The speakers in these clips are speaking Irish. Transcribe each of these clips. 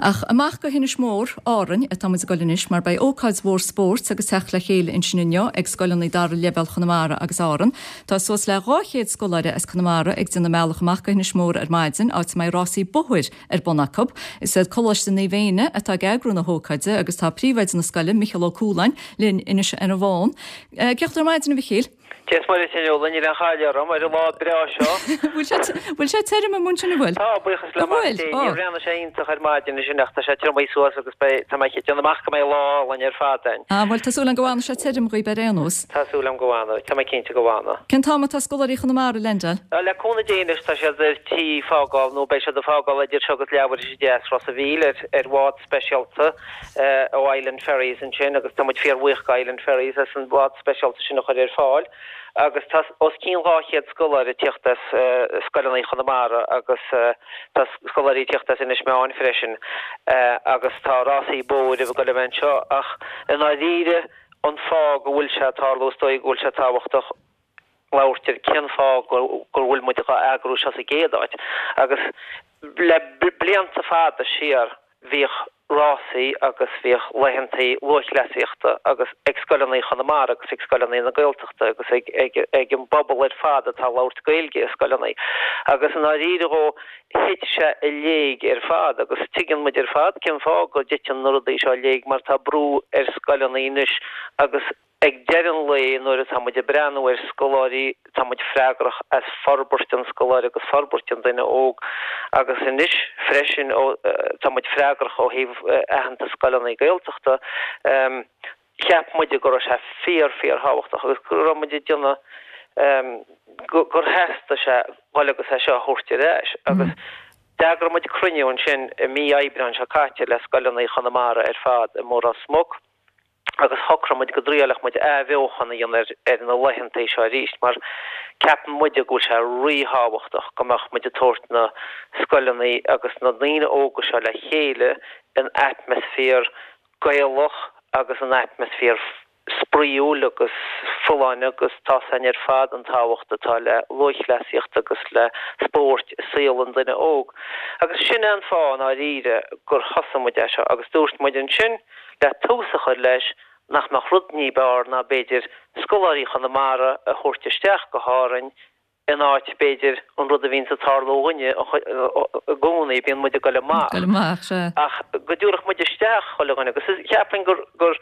Ach amach go hInis Mór, Árainn, atá muid ag dul anois mar beidh ócáid mhór spóirt agus teacht le chéile ansin inniu ag scoileanna dara leibhéal Chonamara agus Árann. Tá suas le 200 scoláire as Conamara ag déanamh a mbealach amach go hInis Mór ar maidin, áit a mbeidh rásaí bóthair ar bun acu. Is iad Coláiste Naomh Éanna atá ag eagrú na hócáide agus tá príomhoide na scoile, Micheál Ó Cualáin, linn anois ar an bhfón. Cén chaoi ar maidin, a Mhichíl? Dia is Muire duit, a Fhionnuala, níl aon chailleadh orm ar an lá breá seo. Bhfuil sé, bhfuil sé tirim amuigh ansin, an bhfuil? Tá, buíochas le Mac Dé. Níor bhreathnaigh sé iontach ar maidin ansin ach tá sé triomaithe suas agus beidh, tá mé ag déanamh amach go mbeidh lá álainn ar fad againn. Ah, bhuel, tá súil agam go bhfanfaidh sé tirim dhaoib ar aon nós. Tá súil agam go bhfanfaidh. Tá mé cinnte go bhfanfaidh. Cén t-am atá scoláirí Chonamara ag leaindeáil? Le cúnamh Dé anois tá siad ar tí fágáil nó beidh siad ag fágáil idir seo agus leathuair tar éis a 10 as Ros a' Mhíl ar ar bhád speisialta ó Island Ferries ansin agus tá muid fíorbhuíoch go Island Ferries as an bhád speisialta sin a chur ar fáil agus tá os cionn 200 scoláire ag tíocht as scoileanna Chonamara agus tá scoláirí ag tíocht as Inis Meáin freisin agus tá rásaí bóthair ag dul a bheith anseo ach i ndáiríre an fáth go bhfuil sé ag tarlú is dóigh go bhfuil sé tábhachtach labhairt ar cén fáth go bhfuil muid dhá eagrú seo sa gcéad áit. Agus le blianta fada siar bhíodh rásaí agus bhíodh laethantaí lúthchleasaíochta agus ag scoileanna Chonamara agus ag scoileanna na Gaeltachta agus ag ag an bpobal ar fad atá ag labhairt Gaeilge i scoileanna. Agus i ndáiríre dhó thit sé i léig ar fad agus tuigeann muid ar fad cén fáth go dtiteann na rudaí seo i léig mar tá brú ar scoileanna anois agus Ag deireadh an lae nuair atá muid ag breathnú ar scoláirí tá muid freagrach as forbairt an scoláire agus forbairt an duine óg agus anois freisin ó tá muid freagrach ó thaobh aitheantas scoileanna Gaeltachta cheap muide go raibh sé fíor fíor thábhachtach agus go raibh muid ag déanamh gur theastaigh sé dhul agus é seo a thabhairt ar ais agus d'eagraigh muid cruinniú ansin i mí Aibreáin seo caite le scoileanna Chonamara ar fad i Ros Muc. agus shocraigh muid go dtriailfeadh muid athbheochan a dhéanamh ar na laethantaí seo arís mar ceapann muide go bhfuil sé ríthábhachtach go mbeadh muid ag tabhairt na scoileanna agus na daoine óga seo le chéile in atmaisféar Gaelach agus in atmaisféar spraíúil agus folláin agus tá's againn ar fad an tábhacht atá le lúthchleasaíocht agus le spóirt i saol an duine óg. Agus sin é an fáth i ndáiríre gur thosaigh muid é seo agus dúirt muid ansin le tús a chur leis, nach mbeadh rud ní b'fhearr ná b'fhéidir scoláirí Chonamara a thabhairt isteach go hÁrainn in áit, b'fhéidir, an rud a bhíonns ag tarlú dhúinne i gcónaí, bíonn muid ag dul amach. Dul amach, sea. Ach go dtabharfadh muid isteach chuile dhuine agus cheapfainn gur gur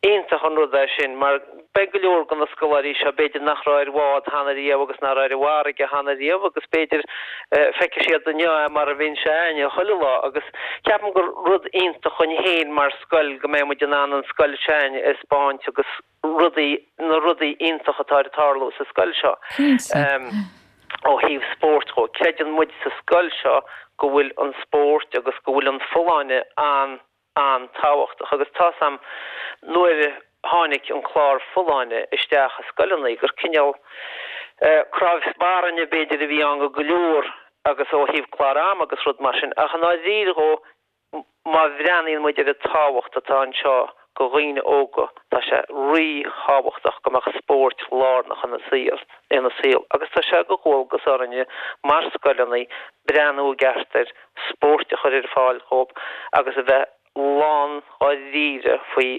iontach an rud é sin mar beidh go leor de na scoláirí seo b'fhéidir nach raibh ar bhád cheana riamh agus nach raibh ar an bhfarraige cheana riamh agus b'fhéidir feicfidh siad inniu é mar a bhíonn sé a'inne chuile lá agus ceapaim gur rud iontach dhúinn féin mar scoil go mbeidh muid in ann an scoil s'a'inne a 'speáint agus rudaí, na rudaí iontach atá ag tarlú sa scoil seo ó thaobh spóirt dhó. Creideann muid sa scoil seo go bhfuil an spórt agus go bhfuil an folláine an an-tábhachtach agus tá's a'm nuair a tháinig an clár folláine isteach i scoileanna gur cineál cnámh spairne b'fhéidir a bhí ann go go leor agus ó thaobh clár ama agus rud mar sin ach i ndáiríre dhó má bhreathnaíonn muid ar an tábhacht atá anseo go dhaoine óga tá sé rí-thábhachtach go mbeadh spóirt lárnach ina saol ina saol agus tá sé de dhualgas orainne mar scoileanna breathnú i gceart ar spóirt a chur ar fáil dhóibh agus a bheith lán dháiríre faoi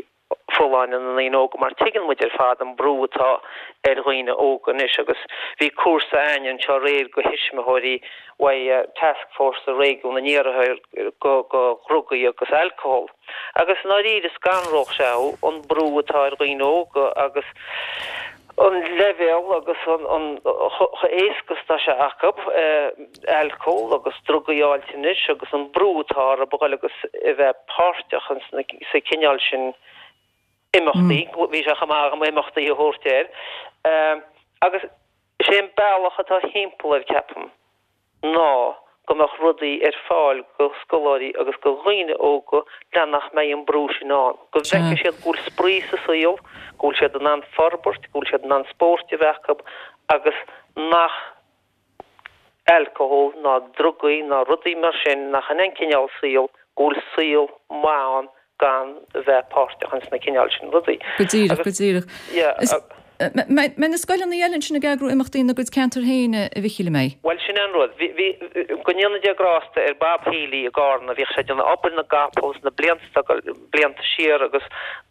folláine na ndaoine óga mar tuigeann muid ar fad an brú atá ar dhaoine óga anois agus bhí cúrsa a'ainn anseo aréir go thuismitheoirí uaidh Taskforce Réigiún an Iarthair go go dhrugaí agus alcohol agus i ndáiríre scanródh sé thú an brú atá ar dhaoine óga agus an leibhéal agus an chomh éasca is atá sé acu alcól agus drugaí a fháilt anois agus an brú atá orthu a dhul agus a bheith páirteach sa chineál sin imeachtaí, bhí sé chomh maith agam imeachtaí a thabhairt air, agus is é an bealach atá thimpeall air, ceapaim. ná go mbeadh rudaí ar fáil go scoláirí agus go dhaoine óga le nach mbeidh an brú sin ann, go bhfeicfidh siad go bhfuil spraoi sa saol, go bhfuil siad in ann forbairt, go bhfuil siad in ann spóirt a bheith acu agus nach alcohol ná drugaí ná rudaí mar sin, nach in é an cineál saoil, go bhfuil saol maith ann gan a bheith páirteach ins na cineál sin rudaí. Go díreach, go díreach. Yeah. Mbeidh na scoileanna eile ansin ag eagrú imeachtaí ina gcuid ceantar féin, a Mhichíl, an mbeidh? Bhuel, sin é an rud. Bhí, bhí, go ndéana Dia grásta ar Bob Healy i gCarna, bhíodh sé ag déanamh obair na gcapall sna blianta, blianta siar agus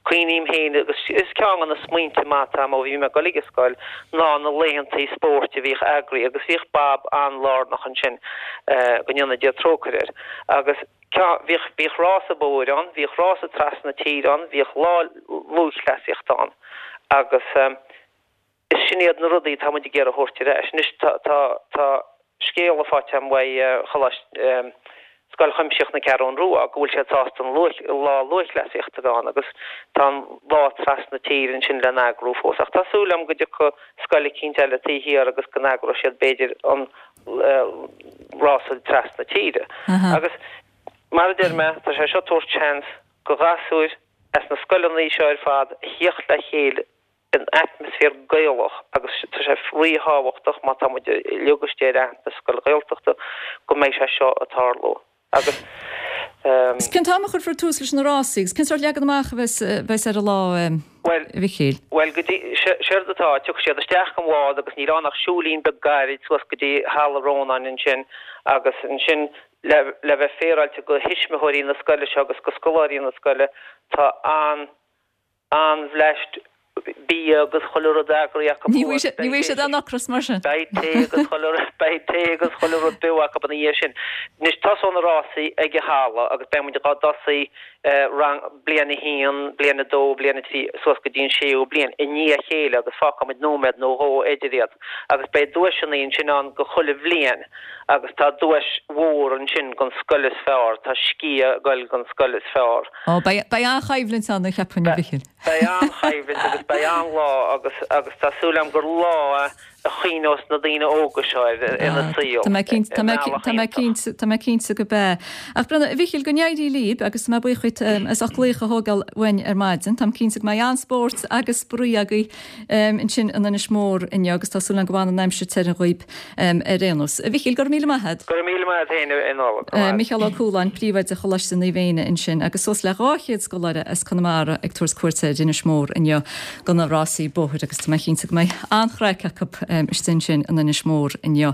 cuimhním féin agus is ceann de na smaointe maith atá agam ó bhí mé ag dul ag an scoil ná na laethantaí spóirt a bhíodh eagraithe agus bhíodh Bob an-lárnach ansin, go ndéana Dia trócaire air. Agus ceann, bhíodh, bhíodh rása bóthair ann, bhíodh rása trasna tíre ann, bhíodh lá lúthchleasaíochta ann. Agus is sin iad na rudaí atá muid ag iarraidh a thabhairt ar ais. Anois tá, tá, tá scéala faighte agam uaidh Choláiste, Scoil Chuimsitheach na Ceathrún Rua go bhfuil siad sásta an luath, lá lúthchleasaíochta a bheith ann agus tá an lá trasna tíre ansin le n-eagrú fós. Ach tá súil agam go dtiocfaidh scoil eicínt eile taobh thiar agus go n-eagróidh siad b'fhéidir an rása trasna tíre. Agus mar a deir mé, tá sé seo ag tabhairt seans go ghasúir as na scoileanna seo ar fad a thíocht le chéile in atmaisféar Gaelach agus tá sé ríthábhachtach má tá muid uilig istigh ar aitheantas scoil Ghaeltachta go mbeidh sé seo ag tarlú agus. Agus cén t-am a chuirfear tús leis na rásaí agus cén sórt leagan amach a bheas ar an lá, a Mhichíl? Bhuel, go dtí, séard atá, tiocfaidh siad isteach an bhád agus níl ann ach siúilín beag gairid suas go dtí Halla Rónáin ansin agus ansin Le le bheith féaráilte go thuismitheoirí na scoile seo agus go scoláirí na scoile, tá an an-bhleaist bia agus chuile rud eagraithe acu Ní thuas. Ní bhfaighidh siad aon ocras mar sin. Beidh tae agus chuile rud, beidh tae agus chuile rud beo acu ina dhiaidh sin. Anois tosóidh na rásaí ag an halla agus beidh muid dhá dtosaí rang, bliain a haon, bliain a dó, bliain a trí, suas go dtí an séú bliain i ndiaidh a chéile agus fágfaidh muid nóiméad nó dhó idir iad agus beidh duaiseanna ansin ann go chuile bhliain. Agus tá duais mhór ansin gon scoil is fearr, tá sciath ag goil gon scoil is fearr. Ó, beidh, beidh an-choimhlint ann, cheapfainn, a Mhichíl. Beidh an-choimhlint agus beidh an-lá agus, agus tá súil agam gur lá é a chuimhneos na daoine óga seo air ina saol, Tá mé cinnte, tá mé, tá mé cinnte, tá mé cinnte go beidh. Ach breathnaigh, a Mhichíl, go n-éirí libh agus tá mé buíoch dhuit as ucht glaoch a thógáil uainn ar maidin. Táim cinnte go mbeidh an-spórt agus spraoi agaibh ansin in Inis Mór inniu agus tá súil agam go bhfanann an aimsir tirim dhaoib ar aon nós. A Mhichíl, go raibh míle maith agat. Go raibh míle maith agat féin, a Nuala. Go raibh. Micheál Ó Cualáin, Príomhoide Choláiste Naomh Éanna ansin agus suas le 200 scoláire as Conamara ag tabhairt cuairte ar Inis Mór inniu do na rásaí bóthair agus tá mé cinnte go mbeidh an-chraic acu istigh ansin in Inis Mór inniu.